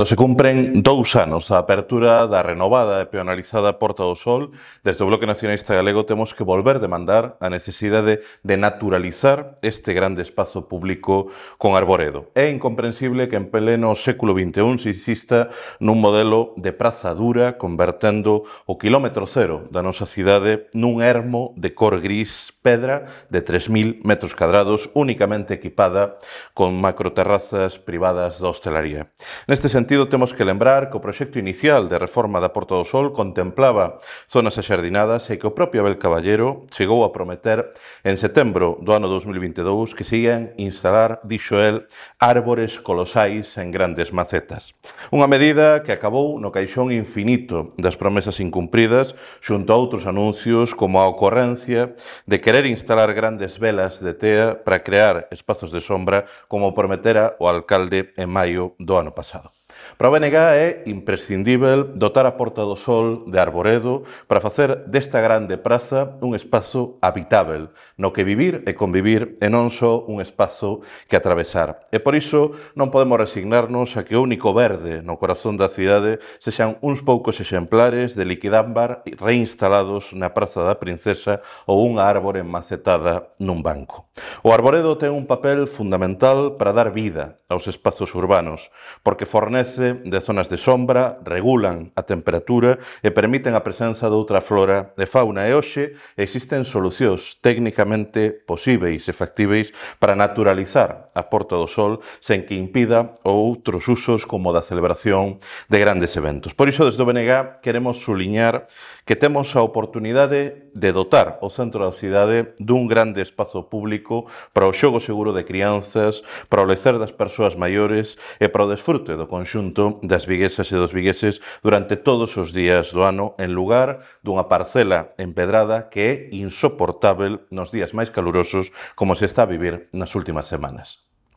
Se cumpren 2 anos da apertura da renovada e peonalizada Porta do Sol. Desde o Bloque Nacionalista Galego temos que volver demandar a necesidade de naturalizar este grande espazo público con arboredo. É incomprensible que en pleno século XXI se insista nun modelo de praza dura convertendo o quilómetro cero da nosa cidade nun ermo de cor gris pedra de 3.000 metros cadrados únicamente equipada con macroterrazas privadas da hostelaría. Neste sentido, temos que lembrar que o proxecto inicial de reforma da Porta do Sol contemplaba zonas axardinadas e que o propio Abel Caballero chegou a prometer en setembro do ano 2022 que se ian instalar, dixo el, árbores colosais en grandes macetas. Unha medida que acabou no caixón infinito das promesas incumpridas xunto a outros anuncios como a ocorrencia de querer instalar grandes velas de tea para crear espazos de sombra como prometera o alcalde en maio do ano pasado. Para o BNG é imprescindível dotar a Porta do Sol de arboredo para facer desta grande praza un espazo habitável, no que vivir e convivir e non só un espazo que atravesar. E por iso non podemos resignarnos a que o único verde no corazón da cidade sexan uns poucos exemplares de liquidámbar reinstalados na Praza da Princesa ou unha árbore macetada nun banco. O arboredo ten un papel fundamental para dar vida aos espazos urbanos, porque fornece de zonas de sombra, regulan a temperatura e permiten a presenza de outra flora e fauna. E hoxe existen solucións técnicamente posíveis e factíveis para naturalizar a Porta do Sol sen que impida outros usos como da celebración de grandes eventos. Por iso, desde o BNG, queremos suliñar que temos a oportunidade de dotar o centro da cidade dun grande espazo público para o xogo seguro de crianzas, para o lecer das persoas maiores e para o desfrute do conxunto das viguesas e dos vigueses durante todos os días do ano en lugar dunha parcela empedrada que é insoportável nos días máis calurosos como se está a vivir nas últimas semanas.